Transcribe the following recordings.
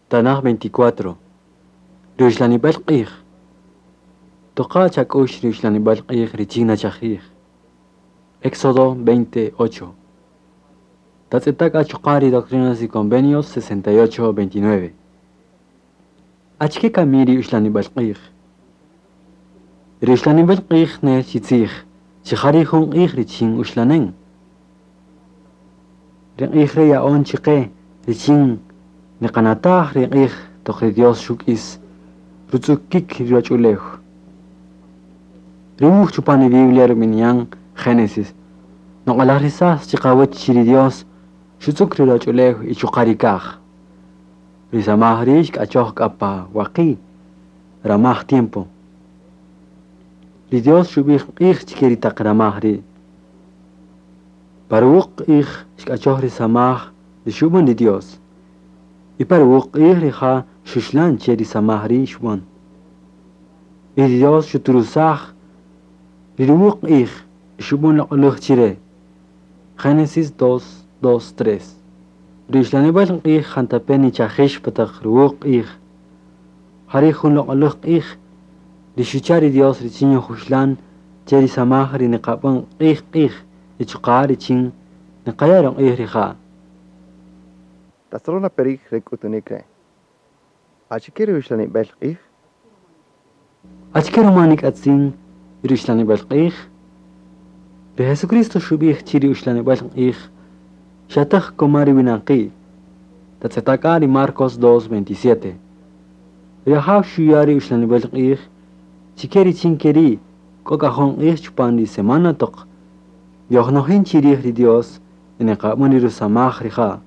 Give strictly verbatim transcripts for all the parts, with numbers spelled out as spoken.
Tanaj veinticuatro. Ruxlanibel q'ij. Toqa chak'ux ruxlanibel q'ij richin nachajij. Éxodo veinte ocho. Tatz'etaq achuqari Doctrinas y Convenios sesenta y ocho veintinueve. Achke kamiri uxlanibel q'ij. Ruxlanibel q'ij nel chitzij, chijari jun q'ij richin uxlanen. Ri q'ij re ya'on chiqe richin niqanataj ri q'ij toq ri Dios xuk'is rutz'ukik ri ruwach'ulew. Ri wuj chupan ri Biblia rub'ini'an Génesis. Noq'alajrisaj chiqawach chi ri Dios xutz'uk ri ruwach'ulew y chuqa' ri kaj. Ri samaj ri' xk'achoj k'a pa waqi' ramaj tiempo. Ri Dios xub'ij q'ij chike ri taq ramaj ri'. Pa ruwuq q'ij xk'achoj ri samaj ri xub'än ri Dios. Y pa ruwuq q'ij rija' xuxlan che ri samaj ri' xub'än. Y ri Dios xuturusaj ri ruwuq q'ij xub'än loq'oläj chire. Génesis dos, dos, tres. Ri uxlanib'al q'ij jantape' nichajix pa taq ruwuq q'ij. Jari' jun loq'oläj q'ij ri xucha' ri Dios richin yojuxlan che ri samaj ri niqab'än q'ij q'ij y chuqa' richin niqaya' ruq'ij rija'. Tasolona perij re k'utunik re'. Achike ri uxlanib'el q'ij? Achike ruma nik'atzin ri uxlanib'el q'ij? Ri Jesucristo xub'ij chi ri uxlanib'el q'ij xataj koma ri winaqi'. Tatz'etaka ri Marcos dos veintisiete. Ri Ajaw xuya' ri uxlanib'el q'ij chike richin keri' k'o k'a jun q'ij chupan ri semana toq yojnojin chirij ri Dios y niqab'än ri rusamaj rija'.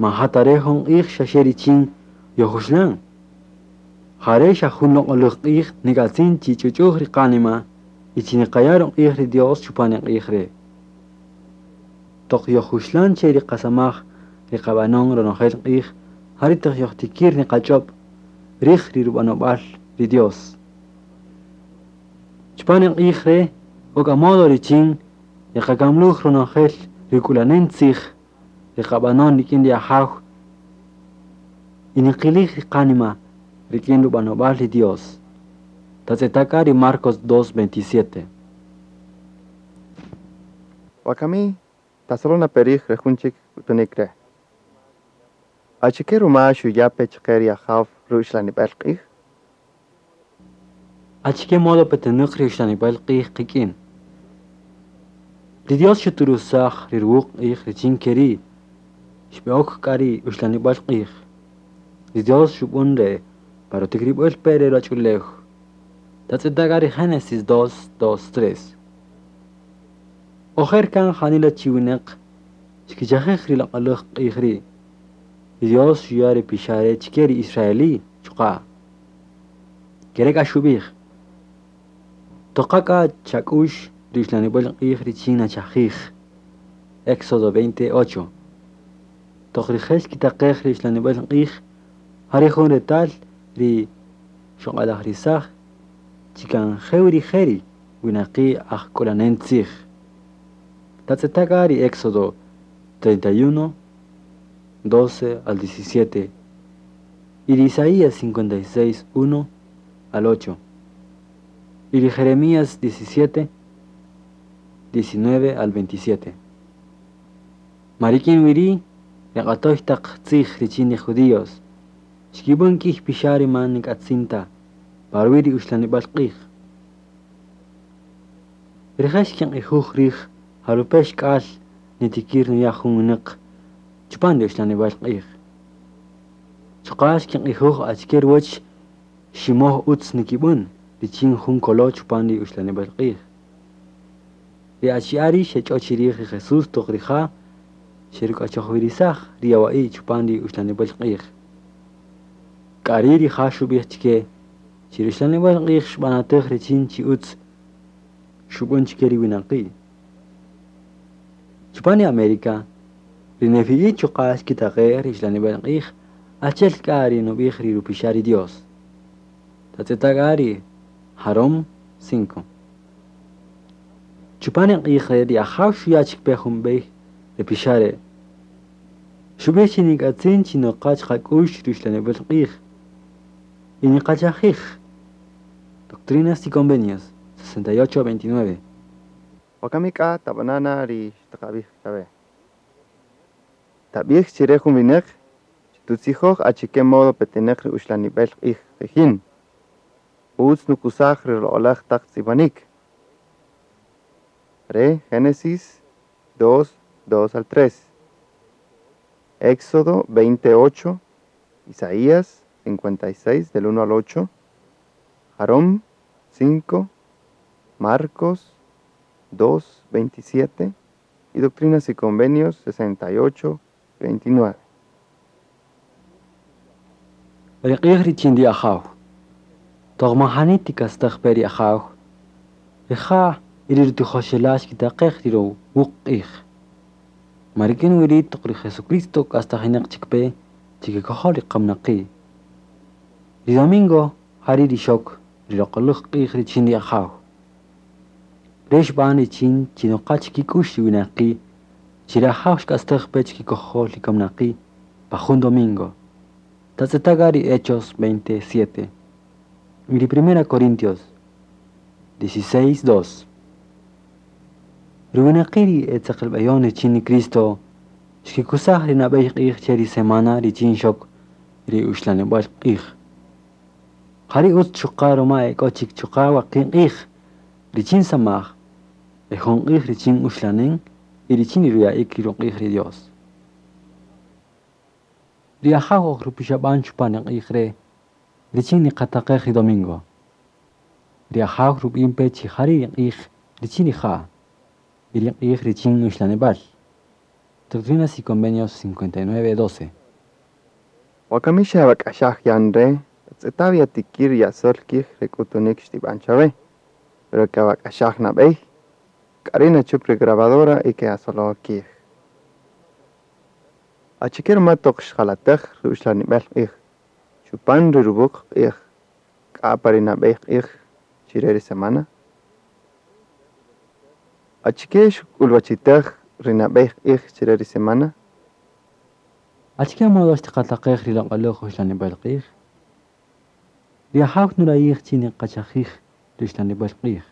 Ma jatare jun q'ij xaxe richin yojuxlan. Jare xa jun loq'oläj q'ij nik'atzin chi ch'uch'uj ri qanima y chi niqaya' ruq'ij ri Dios chupan ri q'ij re'. Toq yojuxlan che ri qasamaj ri qab'anon ronojel q'ij, jari' taq yojtikir niqach'ob' rij ri rub'anob'al ri Dios. Chupan ri q'ij re' k'o k'a modo richin yeqakamluj ronojel ri k'ulanen tzij ri qab'anon rik'in ri Ajaw y niqilij ri qanima rik'in rub'anob'al ri Dios. Tatz'etaka ri Marcos dos veintisiete. Wakami, tasolona perij re jun chik k'utunik re'. Achike ruma xuya' pe chaqe ri Ajaw ruxlanib'el q'ij? Achike modo petenäq ri uxlanib'el q'ij qik'in? Ri Dios xuturusaj ri ruwuq q'ij richin keri' xb'e'ok k'a ri uxlanib'el q'ij. Ri Dios xub'än re' pa rutikrib'äl pe re ruwach'ulew. Tatz'etaka ri Génesis dos, dos, tres. Ojer kan janila chi winäq xkichajij ri loq'oläj q'ij ri'. Ri Dios xuya' ri pixa' re chike ri israelí chuqa'. Kere k'a xub'ij. Toqa k'a chak'ux ri uxlanib'el q'ij richin nachajij. Éxodo veinte ocho. Toq rijel xkitaqej ri uxlanib'el q'ij, jari' jun retal ri xoq'alajrisaj chikan jew ri jeri winaqi' aj k'ulanen tzij. Tatz'etaka ri Éxodo treinta y uno, doce al diecisiete y ri Isaías cincuenta y seis, uno al ocho y ri Jeremías diecisiete, diecinueve al veintisiete. Marikin wiri ri q'atoy taq tzij richin ri judíos xkib'än k'ij pixa' ri man nik'atzin ta pa ruwi' ri uxlanib'al q'ij. Rije' xkinq'ijuj rij jarupe' xk'al nitikir nuya' jun winäq chupan ri uxlanib'al q'ij. Chuqa' xkinq'ijuj achike ruwäch ximoj utz nikib'än richin jun kolo' chupan ri uxlanib'al q'ij. Ri achi'a' ri' xech'o chirij ri Jesús toq rija' xeruk'achojwirisaj ri yawa'i' chupan ri uxlanib'al q'ij. K'a ri' rija' xub'ij chike chi ri uxlanib'al q'ij xb'anatäj richin chi utz xub'än chike ri winaqi'. Chupan ri América, ri nefi'i chuqa' xkitaqej ri uxlanib'al q'ij achi'el k'a ri nub'ij ri rupixa' ri Dios. Tatz'etaka ri Jarom cinco. Chupan ri q'ij re' ri Ajaw xuya' chik pe jun b'ey ri pixa' re'. Xub'ij chi nik'atzin chi noqach qak'ux ri uxlanib'al q'ij y niqachajij. Doctrinas y Convenios sesenta y ocho veintinueve. Wakami k'a tab'anana ri xtaqab'ij chawe. Tab'ij chire jun winäq chi tutzijoj achike modo petenäq ri uxlanib'el q'ij qijin. Utz nukusaj ri loq'oläj taq tz'ib'anik. Re Génesis dos, dos al tres. Éxodo veinte ocho, Isaías cincuenta y seis del uno al ocho, Jarón cinco, Marcos dos, veintisiete y Doctrinas y Convenios sesenta y ocho, veintinueve. Ri q'ij richin ri Ajaw. Toq majani tikastaj pe ri Ajaw. Rija' y ri rutijoxela' xkitaqej ri ruwuq q'ij. Marikin wiri toq ri Jesucristo k'astajinaq chik pe chikikojol ri qamnaqi'. Ri domingo jari ri xok ri loq'oläj q'ij richin ri Ajaw. Re xb'an richin chi noqa chikik'ux ri winaqi' chi ri Ajaw xk'astaj pe chikikojol ri kamnaqi' pa jun domingo. Tatz'etaga ri Hechos veintisiete. Y ri Primera Corintios dieciséis dos. Ri winaqi' ri etzeqelb'eyon richin ri Cristo xkikusaj ri nab'ey q'ij che ri semana richin xok ri uxlanib'al q'ij. Jari utz chuqa' ruma ek'o chik chuqa' waqi' q'ij richin samaj, e jun q'ij richin uxlanen y richin ri ruya'ik ri ruq'ij ri Dios. Ri Ajaw oj rupixab'an chupan ri q'ij re' richin niqataqej ri domingo. Ri Ajaw rub'in pe chi jari ri q'ij richin rija' y ri q'ij richin uxlanib'al. Doctrinas y Convenios cincuenta y nueve doce. Wakami xawak'axaj yan re', tatz'eta' yatikir yasol kij re k'utunik xtib'an chawe, pero kawak'axaj nab'ey, k'ari nachup ri grabadora y ke'asolo kij. Achike ruma toq xjalatäj ri uxlanib'el q'ij, chupan ri ruwuq q'ij, k'a pa ri nab'ey q'ij chire ri semana? Achike xk'ulwachitäj ri nab'ey q'ij chire ri semana? Achike modo xtiqataqej ri loq'oläj uxlanib'al q'ij? Ri Ajaw nurayij chi niqachajij ri uxlanib'al q'ij.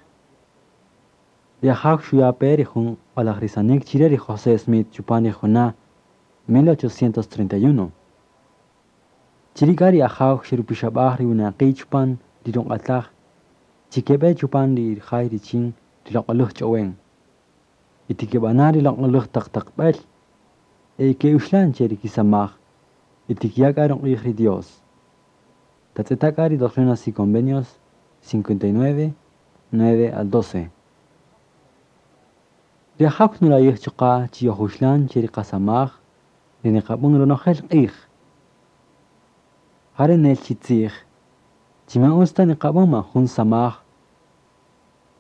Ri Ajaw xuya' pe ri jun q'alajrisanik chire ri José Smith chupan ri juna' mil ochocientos treinta y uno. Chiri k'a ri Ajaw xerupixab'aj ri winaqi' chupan ri ruq'ataj chikeb'e chupan ri jay richin ri loq'oläj ch'owen. Y tikeb'ana' ri loq'oläj taq taqb'el e ke'uxlan che ri kisamaj y tikiya' k'a ruq'ij ri Dios. Tatz'eta' k'a ri Doctrinas y Convenios cincuenta y nueve, nueve al doce. Ri Ajaw nurayij chuqa' chi yojuxlan che ri qasamaj ri niqab'än ronojel q'ij. Jare nel chi tzij, chi man utz ta niqab'än man jun samaj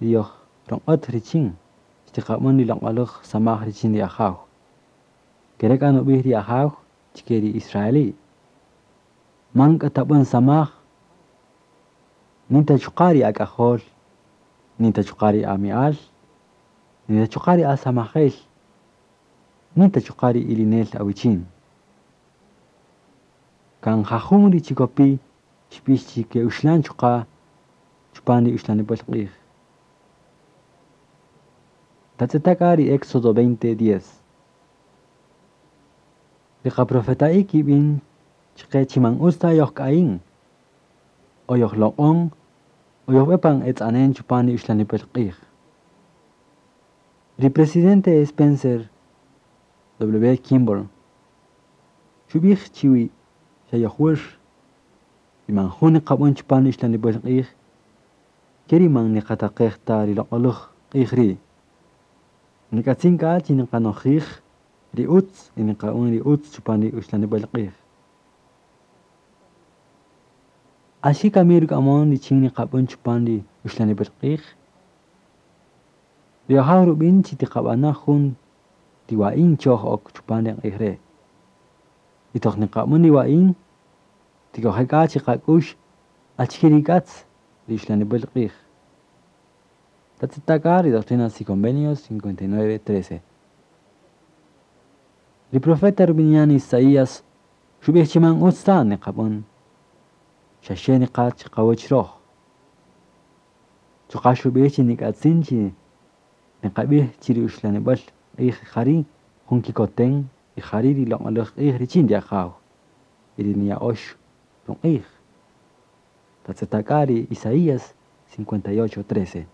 ri yoj roq'ot richin xtiqab'än ri loq'oläj samaj richin ri Ajaw. Kere k'a nub'ij ri Ajaw chike ri Israeli. Man k'a tab'än samaj, ni ta chuqa' ri ak'ajol, ni ta chuqa' ri ami'al, ni ta chuqa' ri asamajel, ni ta chuqa' ri ilinel awichin. Kan jajun ri chikopi xb'ix chi ke'uxlan chuqa' chupan ri uxlanib'al q'ij. Tatz'eta' k'a ri Éxodo veinte diez. Ri qaprofeta'i kib'in chqe chi man utz ta yojk'ayin, o yojloq'on, o yojb'e pan etz'anen chupan ri uxlanib'al q'ij. Ri presidente Spencer W. Kimball xub'ij chiwi xa yojwär y man jun niqab'än chupan ri uxlanib'al q'ij, keri man niqataqej ta ri loq'oläj q'ij ri'. Nik'atzin k'a chi niqanojij ri utz y niqa'un ri utz chupan ri uxlanib'al q'ij. Axi kami ruk'amon richin niqab'än chupan ri uxlanib'al q'ij. Ri Ajaw rub'in chi tiqab'ana jun tiwa'in choj ok chupan ri q'ij re'. Y toq niqab'än ri wa'in, tik'oje' k'a chi qak'ux achike ri k'atz ri uxlanib'al q'ij. Tatz'eta' k'a ri Doctrinas y Convenios cincuenta y nueve trece. Ri profeta rubini'an Isaías xub'ij chi man utz ta niqab'än, xa xe niqa' chiqawäch röj. Chuqa' xub'ij chi nik'atzin chi niqab'ij chi ri uxlanib'äl q'ij jari' jun kikoten y jari' ri loq'oläj q'ij richin ri Ajaw y ri niya'ox ruq'ij. Tatz'eta' k'a ri Isaías cincuenta y ocho, trece.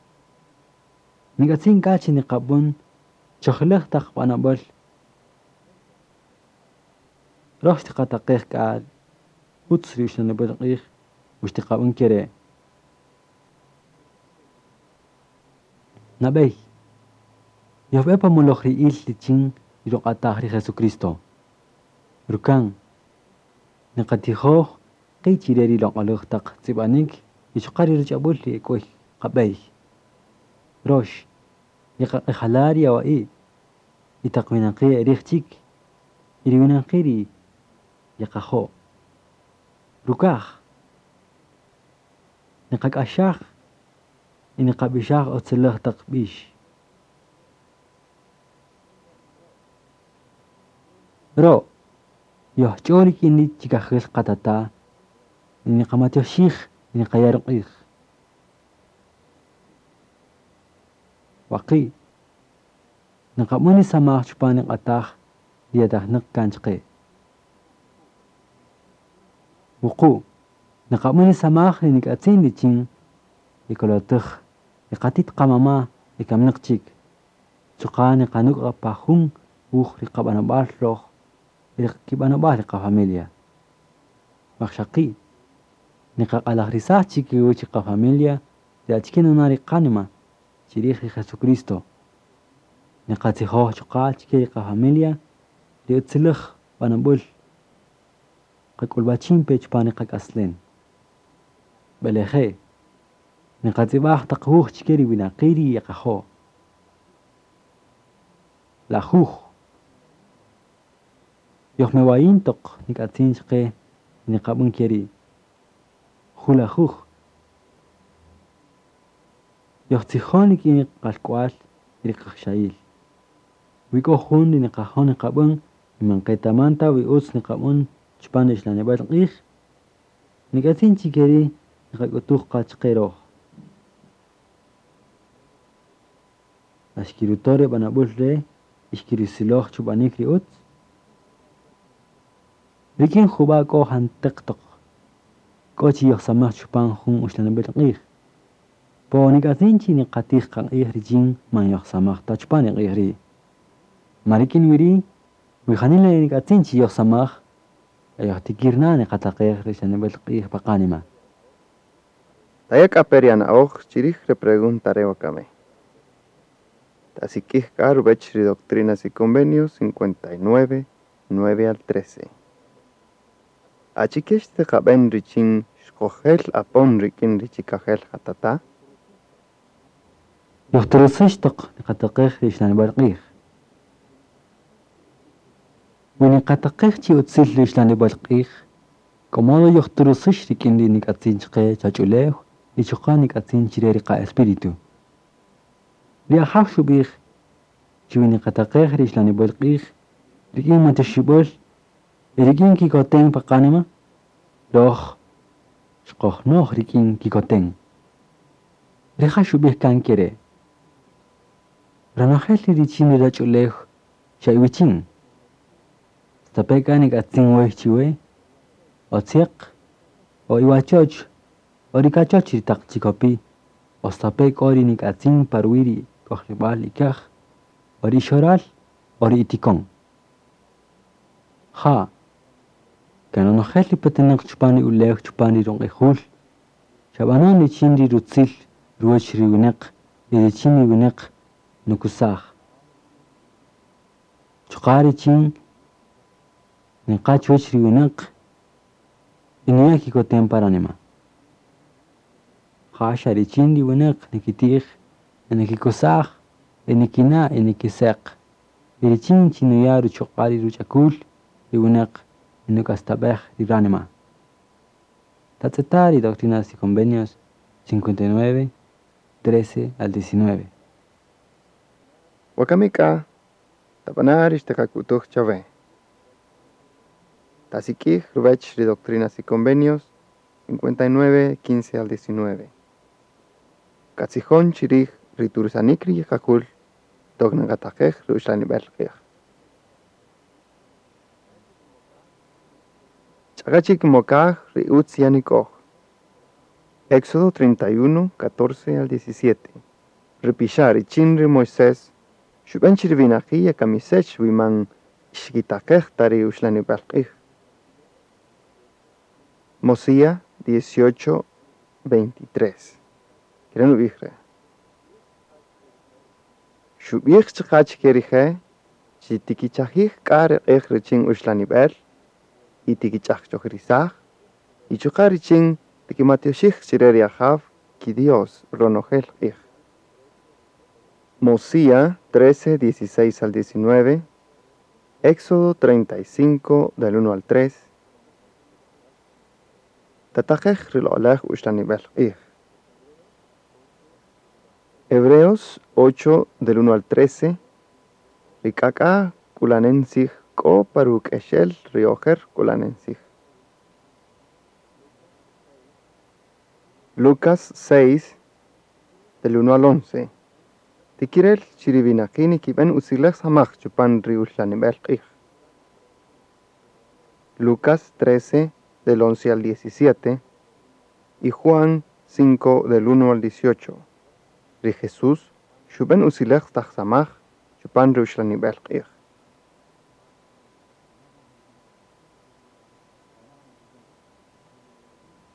Nik'atzin k'a chi niqab'än chojilej taq b'anob'äl. Röj xtiqataqej k'a utz ri uxlanib'äl q'ij u xtiqab'än ke re'. Nab'ey, yojb'e pa molojri'ïl richin ri ruq'ataj ri Jesucristo. Rukan, niqatijoj qi' chi re ri loq'oläj taq tz'ib'anik y chuqa' ri ruch'ab'äl ri ek'wey qab'ey. Rox, yeqaq'ijala' ri awa'i' y taq winaqi' erij chik y ri winaqi' ri yeqajo'. Rukaj, niqak'axaj y niqab'ixaj utziläj taq b'ix. Ro', yojch'o rik'in ri chikajil qatata' y niqamatyoxij y niqaya' ruq'ij. Waqi', niqab'än ri samaj chupan ri q'ataj ri yatajnäq kan chaqe. Wuqu', niqab'än ri samaj ri nik'atzin richin yekolotäj ri qatit qamama' y kaminäq chik. Chuqa' niqanuk' pa jun wuj ri qab'anob'al röj y ri kib'anob'al ri qafamilia. Waqxaqi', niqaq'alajrisaj chikiwäch ri qafamilia ri achike nuna' ri qanima chirij ri Jesucristo. Niqatzijoj chuqa' chike ri qafamilia ri utziläj b'anob'äl qak'ulb'achin pe chupan ri qak'aslem. B'eleje', niqatz'ib'aj taq wuj chike ri winaqi' ri yeqajo'. Lajuj, yojmewayin toq nik'atzin chaqe niqab'än ke ri'. Julajuj, yojtzijon rik'in ri qalk'wal y ri qajxayil. Wi k'o jun ri niqajo' niqab'än y man qetaman ta wi utz niqab'än chupan ri uxlanib'äl q'ij, nik'atzin chi ke ri' niqak'utuj qa chaqe röj. La xkiruto' re b'anob'äl re' y xkirusiloj chub'anik ri utz. Rik'in jub'a' k'o janteq toq k'o chi yojsamaj chupan jun uxlanib'äl q'ij. Po nik'atzin chi niqatij qaq'ij richin man yojsamaj ta chupan ri q'ij ri'. Ma rik'in wi ri', wi janila nik'atzin chi yojsamaj, yojtikir na niqataqej ri uxlanib'äl q'ij pa qanima. Taya' k'a pe ri ana'oj chirij re pregunta re wakami. Tasik'ij k'a ruwech ri Doctrinas y Convenios cincuenta y nueve, nueve al trece. Achike xtiqab'en richin xkojel apon rik'in ri chikajel qatata'? Yojtorosëx toq niqataqej ri uxlanib'äl q'ij. Wi niqataqej chi utzil ri uxlanib'äl q'ij, komodo yojtorosëx rik'in ri nik'atzin chaqe chach'ulew y chuqa' nik'atzin chire ri qa-espíritu. Ri Ajaw xub'ij chi wi niqataqej ri uxlanib'äl q'ij, rik'in matyoxib'äl y rik'in kikoten pa qanima, röj xkojnoj rik'in kikoten. Rija' xub'ij kan ke re'. Ronojel ri richin ri ruwach'ulew xa iwichin. Stape' k'a nik'atzin wey chiwe, o tzyäq, o iwachoch, o ri kachoch ri taq chikopi', o stape' k'o ri nik'atzin pa ruwi' ri k'ojlib'äl ikaj, o ri ixoral, o ri itikon. Ja, kan ronojel ri petenäq chupan ri ulew chupan ri ruq'ijul, xa b'anon richin ri rutzil ruwäch ri winäq y richin ri winäq nukusaj. Chuqa' richin niqa' chuwäch ri winäq y nuya' kikoten pa ranima. Ja xa richin ri winäq nikitij, y nikikusaj, y nikina' y nikiseq. Y richin chi nuya' ruchuq'a' ri ruch'akul ri winäq y nuk'astab'ej ri ranima. Tatz'eta' ri Doctrinas y Convenios cincuenta y nueve, trece al diecinueve. Wakami k'a, tab'ana' ri xtiqak'utuj chawe. Tasik'ij ruwäch ri Doctrinas y Convenios cincuenta y nueve, quince al diecinueve. Katzijon chi rij ri tursanik ri yiqaqul toq niqataqej ri uxlanib'el q'ij. Ch'aqa chik mokaj ri utz yanik'oj. Éxodo treinta y uno, catorce al diecisiete. Ri pixa' richin ri Moisés xub'en chi ri winaqi' yekamisex wi man xkitaqej ta ri uxlanib'äl q'ij. Mosíah dieciocho, veintitrés. Kere' nub'ij re'. Xub'ij chuqa' chike rije' chi tikichajij k'a ri q'ij richin uxlanib'el y tikich'ajch'ojirisaj y chuqa' richin tikimatioxij chire ri Ajaw ki-Dios ronojel q'ij. Mosíah trece, dieciséis al diecinueve, Éxodo treinta y cinco, del uno al tres. Tataqej ri loq'oläj uxlanib'äl q'ij. Hebreos ocho, del uno al trece, ri k'ak'a k'ulanen tzij k'o pa ruk'exel ri ojer k'ulanen tzij. Lucas seis, del uno al once. Tikirel chi ri winaqi' nikib'än utziläj samaj chupan ri uxlanib'äl q'ij. Lucas trece, del once al diecisiete y Juan cinco, del uno al dieciocho. Ri Jesús xub'än utziläj taq samaj chupan ri uxlanib'äl q'ij.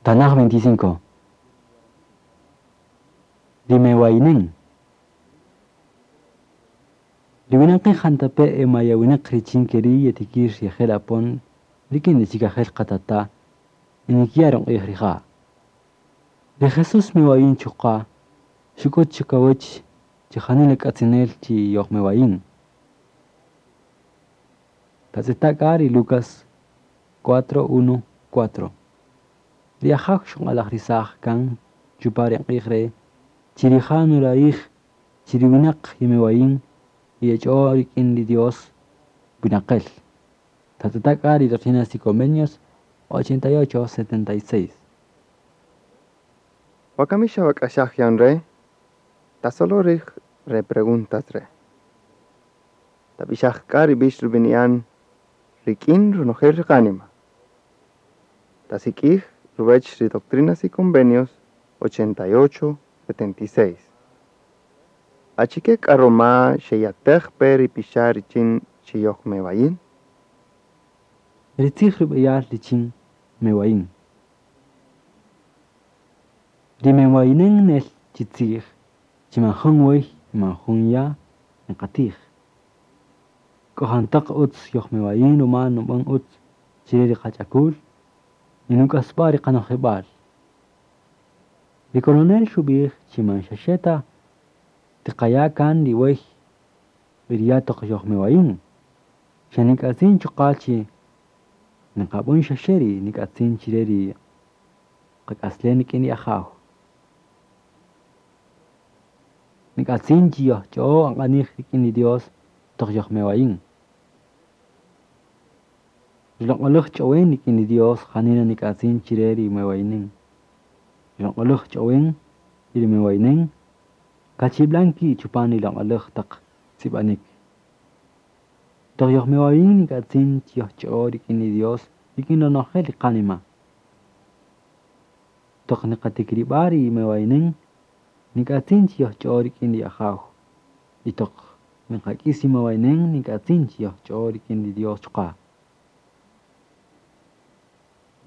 Tanaj veinticinco. Rimewainen. Riwinaqi jantape e mayawineq richin keri yetikir yejel apon rikin chikajel qatata inikia ronq'ij rija'. Ri Jesús mewayin chuqa' xuk'ut chikawäch chi janila k'atzinel chi yojmewayin. Tatz'eta' k'a ri Lucas cuatro, uno, cuatro. Ri Ajaw xuq'alajrisaj kan chupan ri q'ij re' chi rija' nurayij chi ri winaq yemewayin y yech'o rik'in ri Dios winaqel. Tatz'eta' k'a ri Doctrinas y Convenios ochenta y ocho, setenta y seis. Wakami xawak'axaj yan re', tasolo rij re preguntas re'. Tab'ixaj k'a ri b'ix rub'ini'an rik'in ronojel ri qánima. Tasik'ij ruwäch ri Doctrinas y Convenios ochenta y ocho, setenta y seis. Achike k'a roma xeyatej pe ri pixa' richin chi yojmewayin? Ri tzij rub'eyal richin mewayin. Ri mewayinen nel chi tzij chi man jun wey y man jun ya' niqatij. K'o jantäq utz yojmewayin ruma nub'än utz chire ri qach'akul y nuk'asb'a' ri qanojib'al. Ri coronel xub'ij chi man xaxe ta tiqaya' kan ri wey y ri ya' toq yojmewayin. Xa nik'atzin chuqa' chi niqab'än xaxe ri nik'atzin chire ri qak'aslen rik'in ri Ajaw. Nik'atzin chi yojch'o aq'anij rik'in ri Dios toq yojmewayin. Ri loq'oläj ch'owen rik'in ri Dios janila nik'atzin chire ri mewayinen. Ri loq'oläj ch'owen y ri mewayinen kachib'lan ki' chupan ri loq'oläj taq tz'ib'anik. Toq yojmewayin nik'atzin chi yojch'o rik'in ri Dios rik'in ronojel ri qánima. Toq niqatikrib'a ri mewayinen nik'atzin chi yojch'o rik'in ri Ajaw. Y toq niqak'is ri mewayinen nik'atzin chi yojch'o rik'in ri Dios chuqa'.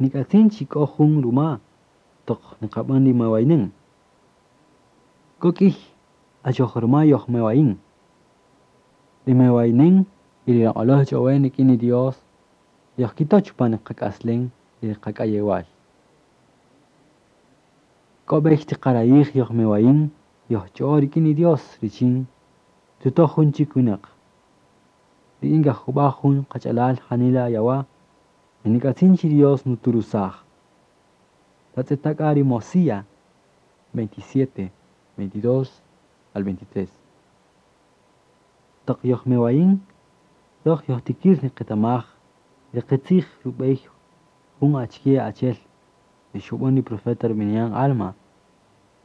Nik'atzin chi k'o jun ruma toq niqab'än ri mewayinen. K'o k'ïy achoj ruma yojmewayin. Ri mewayinen y ri loq'oläj ch'owen rik'in ri Dios yojkito' chupan ri qak'aslen y ri qak'ayewal. K'o b'ey tiqarayij yojmewayin yojch'o rik'in ri Dios richin tuto' jun chik winäq. Ri inga jub'a' jun qach'alal janila yawa' y nik'atzin chi Dios nuturusaj. Tatz'eta' k'a ri Mosíah veintisiete, veintidós al veintitrés. Toq yojmewayin, röj yojtikir niqetamaj ri qitzij rub'ey Jun achike achel ri xub'än ri profeta rub'ini'an Alma,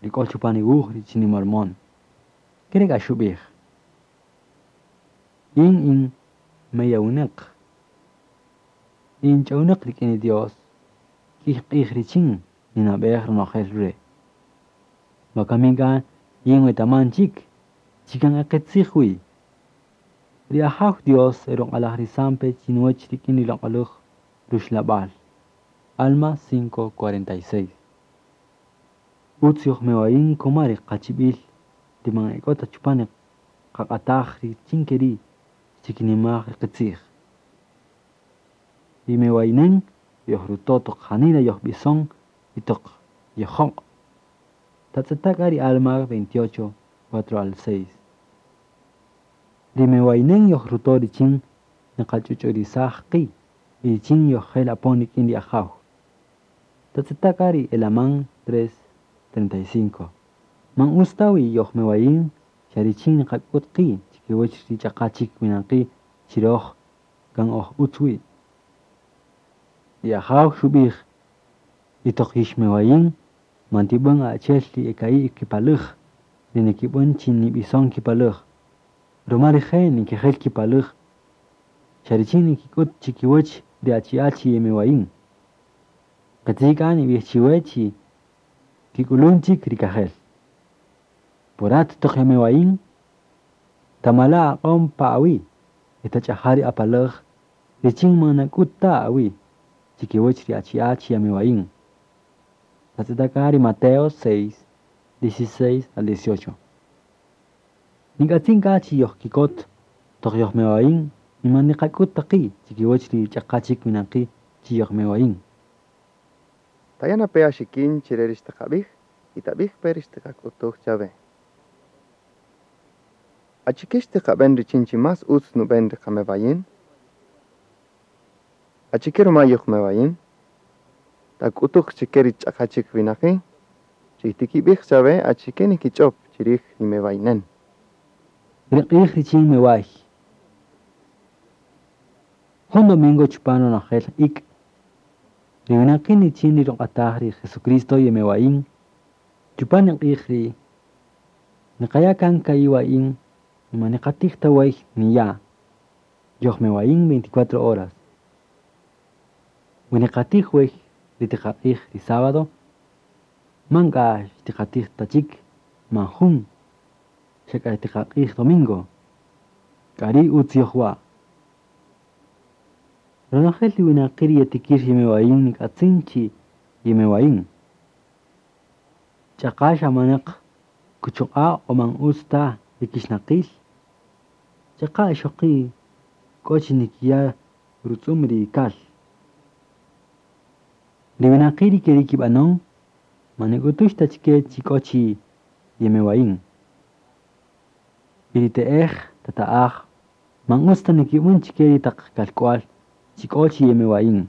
ri k'o chupan ri wuj richin ri Mormón. Kere' k'a xub'ij: Yin in meyawinäq, in ch'awnäq rik'in ri Dios, k'ïy q'ij richin ninab'ej ronojel re'. Wakami k'a yin wetaman chik chi kan e qitzij wi. Ri Ajaw Dios eruq'alajrisan pe chinuwäch rik'in ri loq'oläj ruxlab'al. Alma cinco cuarenta y seis. Utz yojmewayin kuma ri qachib'il ri man e k'o ta chupan ri qaq'ataj richin ke ri' xtikinimaj ri qitzij. Ri mewayinen yojruto' toq janila yojb'ison y toq yojoq'. Tatz'eta' k'a ri Alma veintiocho, cuatro al seis. Ri mewayinen yojruto' richin niqach'uch'urisaj qi' y richin yojjel apon rik'in ri Ajaw. Tatz'eta' k'a ri Elamán tres, treinta y cinco. Man utz ta wi yojmewayin xa richin niqak'ut qi' chikiwäch ri ch'aqa chik winaqi' chi röj kan oj utz wi. Ri Ajaw xub'ij, y toq yixmewayin man tib'än achi'el ri e ka'i' kipaläj, ri nikib'än chi nib'ison kipaläj. Ruma rije' nikijel kipaläj, xa richin nikik'ut chikiwäch ri achi'a' chi yemewayin. Qitzij k'a nib'ij chiwe chi kik'ulun chik ri kajel. Po rat toq yamewayin, tamala' aq'om pa awi' y tach'aja' ri apaläj richin man nak'ut ta awi' chikiwäch ri achi'a' chi yamewayin. Tatz'eta' k'a ri Mateo seis, dieciséis al dieciocho. Nik'atzin k'a chi yojkikot toq yojmewayin y man niqak'ut ta qi' chikiwäch ri ch'aqa chik winaqi' chi yojmewayin. Taya' pe axikin chire ri xtiqabij y tabij pe ri xtiqak'utuj chawe. Achike xtiqaben richin chi más utz nuben ri qamewayin? Achike ruma yojmewayin? Tak'utuj chike ri ch'aqa chik winaqi' ri tikibij chawe achike nikich'ob chirij ri mewayinen. Ri q'ij richin meway. Jun domingo chupan ronojel ik'. Ri winaqi' richin ri ruq'ataj ri Jesucristo yemewayin. Chupan ri q'ij ri niqaya' kan ka'i' wa'in y man niqatij ta wey niya'. Yojmewayin veinticuatro horas. Wi niqatij wey ri tiqaq'ij ri sábado, man k'a xtiqatij ta chik man jun, xa k'a tiqaq'ij domingo. K'ari' utz yojwa'. Ronojel ri winaqi' ri yetikir yemewayin nik'atzin chi yemewayin. Ch'aqa xa manaq kuchuq'a' o man utz ta ri kixnaqil. Ch'aqa ixoqi' k'o chi nikiya' rutz'um ri kal. Ri winaqi' ri keri' kib'anon, man nik'utux ta chike chi k'o chi yemewayin. Y ri te'ej tata'aj man utz ta nikib'än chike ri taq kalk'wal chi k'o chi yemewayin.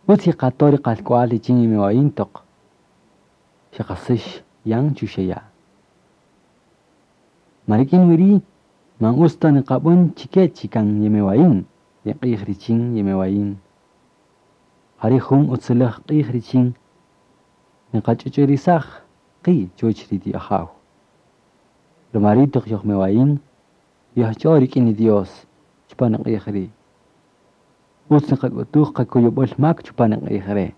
Utz yeqato' ri qalk'wal richin yemewayin toq xeqasëx yan chuxeya'. Ma rik'in wi ri' man utz ta niqab'än chike chi kan yemewayin, ri q'ij richin yemewayin. Jari' jun utziläj q'ij richin niqach'uch'urisaj qi' chuwäch ri Ajaw. Ruma ri' toq yojmewayin, yojch'o rik'in ri Dios chupan ri q'ij ri'. Utz niqak'utuj qakuyub'äl mak chupan ri q'ij re'.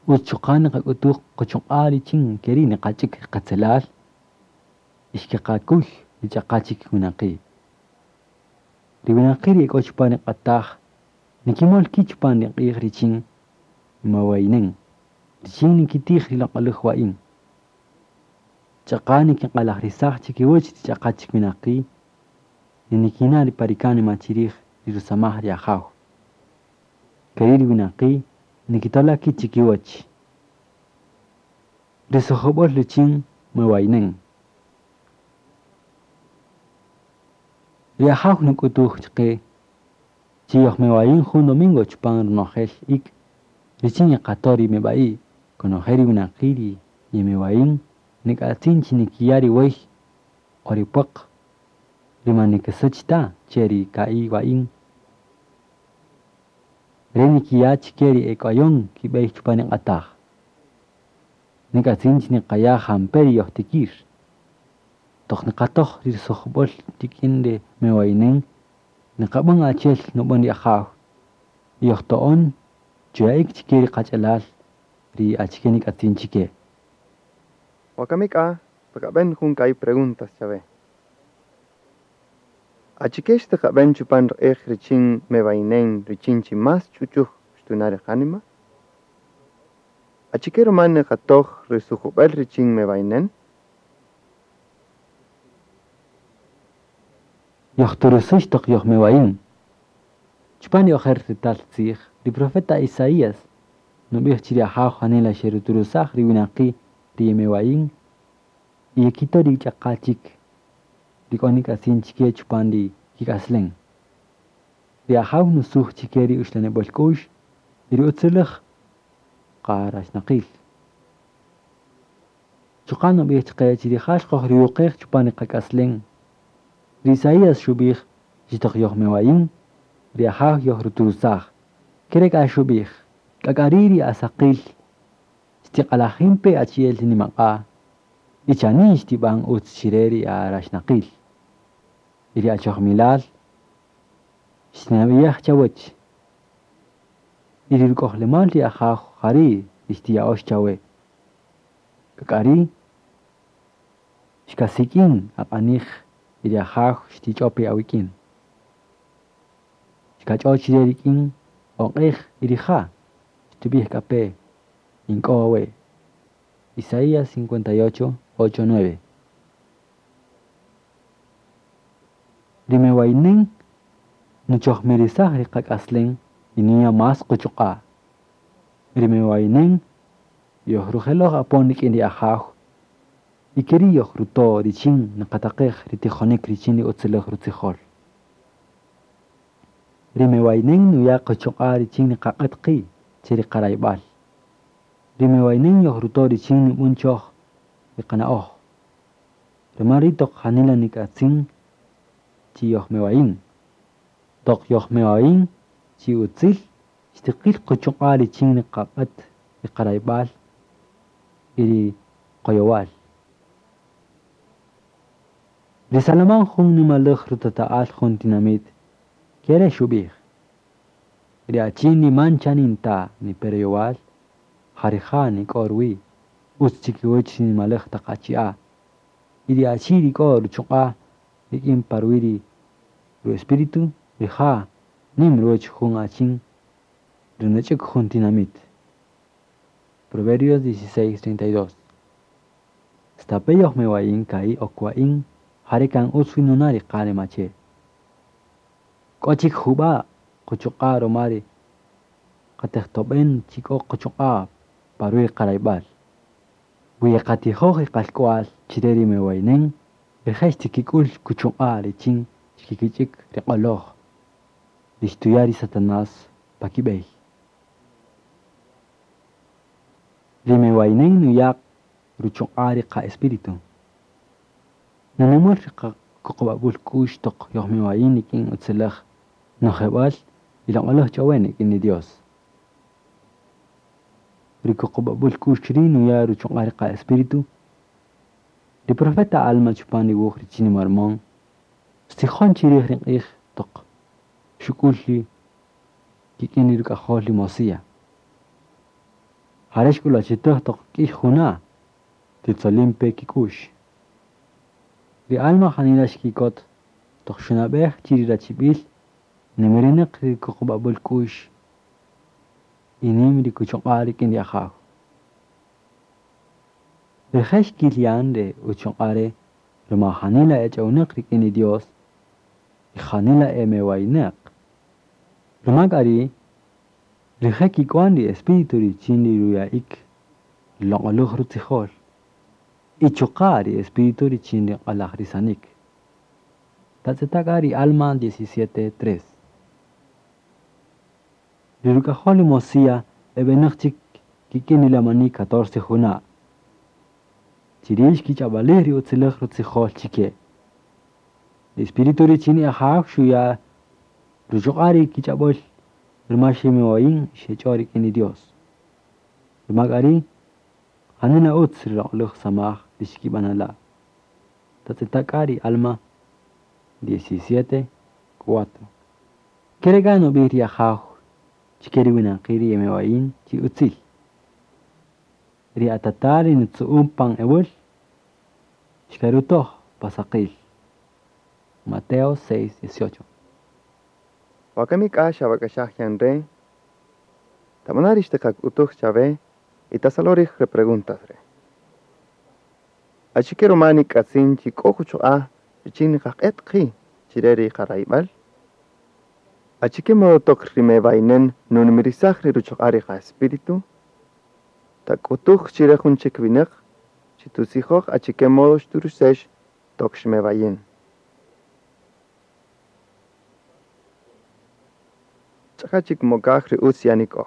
Utz chuqa' niqak'utuj quchuq'a' richin ke ri' niqach'äk ri qatzelal y xkeqakuy ri ch'aqa chik winaqi'. Ri winaqi' ri e k'o chupan ri q'ataj nikimol ki' chupan ri q'ij richin mewayinen, richin nikitij ri loq'oläj wa'in. Ch'aqa nikiq'alajrisaj chikiwäch ri ch'aqa chik winaqi' ri nikina' ri pa rikánima chirij ri rusamaj ri Ajaw. Keri' ri winaqi' nikitola' ki' chikiwäch. Ri sojob'äl richin mewayinen. Ri Ajaw nuk'utuj chaqe chi yojmewayin jun domingo chupan ronojel ik' richin yeqato' ri meb'a'i' konojel ri winaqi' ri yemewayin nik'atzin chi nikiya' ri wey o ri pwaq ri man nikisäch ta che ri ka'i' wa'in. Re nikiya' chike ri ek'wayon kib'ey chupan ri q'ataj. Nik'atzin chi niqaya' jampe' ri yojtikir. Toq niqatoj ri sujb'äl rik'in ri mewayinen, niqab'än achi'el nub'än ri Ajaw. Y yojto'on chuya'ik chike ri qach'alal ri achike nik'atzin chike. Wakami k'a, xtiqaben jun ka'i' preguntas chawe. Achike xtiqaben chupan ri q'ij richin mebayinen richin chi más ch'uch'uj xtuna' ri qánima? Achike roma niqatoj ri sujubel richin mebayinen? Yojturusux toq yojmewayin. Chupan ri ojer retal tzij, ri profeta Isaías nub'ij chi ri Ajaw janila xeruturusaj ri winaqi' ri yemewayin y yekito' ri ch'aqa chik ri k'o nik'atzin chike chupan ri kik'aslen. Ri Ajaw nusuj chike ri uxlanib'äl k'u'x y ri utziläj qaraxnaqil. Chuqa' nub'ij chaqe chi rija' xqojriyuqej chupan ri qak'aslen. Ri Isaías xub'ij chi toq yojmewayin, ri Ajaw yojruturusaj. Kere k'a xub'ij, k'ak'ari ri asaqil xtiq'alajin pe achi'el ri nimaq'a' y chanin xtib'an utz chire ri araxnaqil. Y ri achojmilal xtinab'iyaj chawäch. Y ri ruk'ojlemal ri Ajaw jari' ri xtiya'ox chawe. K'ak'ari xkasik'in aq'anij y ri Ajaw xtich'ope awik'in. Xkach'o chire rik'in oq'ej y rija' xtub'ij k'a pe ink'o awe'. Isaías cincuenta y ocho, ocho, nueve. Ri mewayinen nuchojmirisaj ri qak'aslen y nuya' más quchuq'a'. Ri mewayinen yojrujeloj apon rik'in ri Ajaw y keri' yojruto' richin niqataqej ri tijonik richin ri utziläj rutzijol. Ri mewayinen nuya' quchuq'a' richin niqaq'et qi' che ri qarayb'al. Ri mewayinen yojruto' richin nib'än choj ri qana'oj. Ruma ri' toq janila nik'atzin chi yojmewayin. Toq yojmewayin chi utzil xtiqil quchuq'a' richin niqaq'et ri qarayb'al y ri qoyowal. Ri Salomón jun nimalaj rutata'al jun tinamit kere xub'ij. Ri achin ni man chanin ta ni pereyowal, jarija nik'o ruwi', utz chikiwäch ri nimalaj taq achi'a'. Y ri achi rik'o ruchuq'a' rik'in pa ruwi' ri ru-espíritu, rija' nim ruwäch jun achin runuch'uk jun tinamit. Proverbios dieciséis, treinta y dos. Stape' yojmewayin ka'i' okwa'in, jare kan utz wi nuna' ri qánima che. K'o chik jub'a' quchuq'a' roma ri qatejtob'en chi k'o quchuq'a' pa ruwi' qarayb'al. Wi yeqatijoj ri qalk'wal chire ri mewayinen, rije' xtikik'ul kuchuq'a' richin xkikich'ik ri q'oloj, ri xtuya' ri Satanás pa kib'ey. Ri mewayinen nuya' ruchuq'a' ri qa-espíritu. Nunimär ri qakuqub'ab'äl k'u'x toq yojmewayin rik'in utziläj nojeb'äl y loq'oläj ch'owen rik'in ri Dios. Ri kuqub'ab'äl k'u'x ri' nuya' ruchuq'a' ri qa-espíritu. Ri profeta Alma chupan ri wuj richin ri Mormón xtzijon chirij ri q'ij toq xuk'ul ri kik'in ri ruk'ajol ri Mosía. Jare' xk'ulwachitäj toq k'ïy juna' titzolin pe kik'u'x. Ri Alma janila xkikot toq xunab'ej chi ri rachib'il nimirineq ri kuqub'ab'äl k'u'x y nim ri kuchuq'a' rik'in ri Ajaw. Rije' xkil yan re uchuq'a' re ruma janila ech'ownäq rik'in ri Dios y janila emewaynäq. Ruma k'a ri' rije' kik'wan ri espíritu richin ri ruya'ik ri loq'oläj rutzijol y chuqa' ri espíritu richin ri q'alajrisanik. Tatz'eta' k'a ri Alma diecisiete tres. Ri ruk'ajol ri Mosía eb'enäq chik kik'in ri lamani catorce juna'. Chiri' xkich'ab'alij ri utziläj rutzijol chike. Ri espíritu richin ri Ajaw xuya' ruchuq'a' ri kich'ab'äl Ruma xemewayin xech'o rik'in ri Dios. Ruma k'a ri' janila utz ri loq'oläj samaj ri xkib'anala'. Tatz'eta' k'a ri Alma diecisiete cuatro. Kere' k'a nub'ij ri Ajaw chi ke ri winaqi' ri yemewayin chi utzil. Ri atata' ri nitzu'un pan ewäl, xkarutoj pa saqil. Mateo seis, dieciocho. Wakami k'a xawak'axaj yan re', tab'ana' ri xtiqak'utuj chawe y tasaloj re preguntas re'. Achike ruma nik'atzin chi k'o quchuq'a' richin niqaq'et qi' chire ri qarayb'al? Achike modo toq ri mebaynen nunimirisaj ri ruchuq'a' ri qa-espíritu? Tak'utuj chire jun chik winäq chi tutzijoj achike modo xturusex toq xmebayin. Ch'aqa chik mokaj ri utz yanik'oj.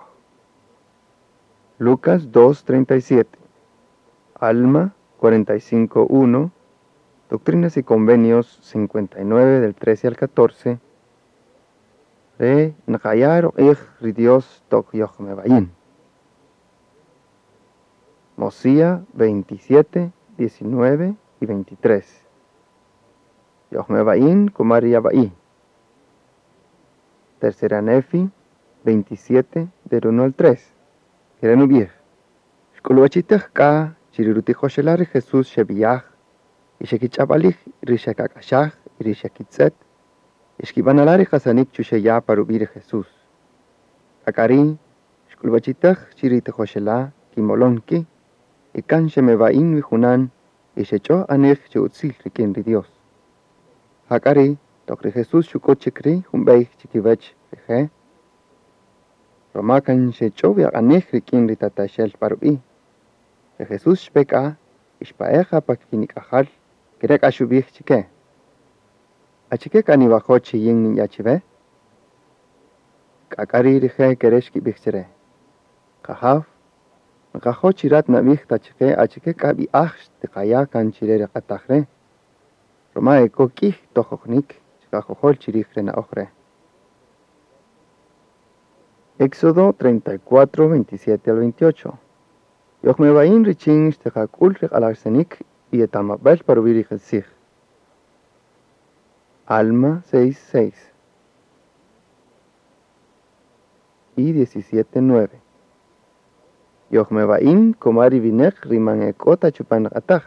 Lucas dos treinta y siete, Alma cuarenta y cinco uno, Doctrinas y Convenios cincuenta y nueve del trece al catorce, re nqaya' ruq'ij ri Dios toq yojmebayin. Mosía veintisiete, diecinueve y veintitrés. Yojmebayin kumari yaba'i. Tercera Nefi veintisiete del uno al tres. Kerenubij. Xk'uluwachitej k'a chi ri rutijoxela' ri Jesús xeb'iyaj y xekich'ab'alij ri xekak'axaj y ri xekitz'et y xkib'anala' ri qasanik chuxeya' pa rub'i' ri Jesús. K'a k'a ri' xk'uluwachitej chi ri tijoxela' kimolon ki' y kan xemeba'in wi junan y xech'o anej chi utzil rik'in ri Dios. Jak'a ri' toq ri Jesús xuk'ut chik ri' jun b'ey chikiwech rije', roma kan xech'o wi aq'anej rik'in ri tataxel pa rub'i'. Ri Jesús xpe k'a y xpa'eja pa kinik'ajal kere' k'a xub'ij chike. Achike k'a niwajo' chi yin ninya' chiwe? K'a k'a ri' rije' kere' xkib'ij chire. Qajaw, nqajo' chi rat nab'ij ta chike achike k'a b'i'aj xtiqaya' kan chire ri q'ataj re'. Roma e k'o k'ij tojojnik chiqakojol chirij re na'oj re'. Éxodo treinta y cuatro, veintisiete al veintiocho. Yojmebayin richin xtiqak'ul ri q'alajrisanik y etamab'el pa rub'i' ri qitzij. Alma seis, seis. Y diecisiete, nueve. Yojmebayin komari wineq ri man e k'o ta chupan q'ataj.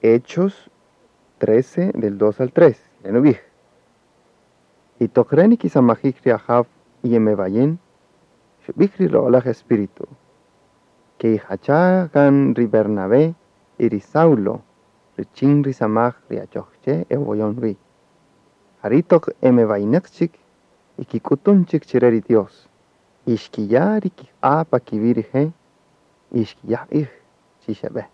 Hechos trece del dos al tres. Renubij. Y toq re nikisamajij ri Ajaw y yemebayin, xub'ij ri loq'oläj Espíritu, que ijacha kan ri Bernabé y ri Saulo richin ri samaj ri achoj che ewoyon wi. Jari' toq emebayineq chik y kik'utun chik chire ri Dios. Y xkiya' ri kiq'a' pa kiwi' rije' y xkiya' q'ij chi xeb'e.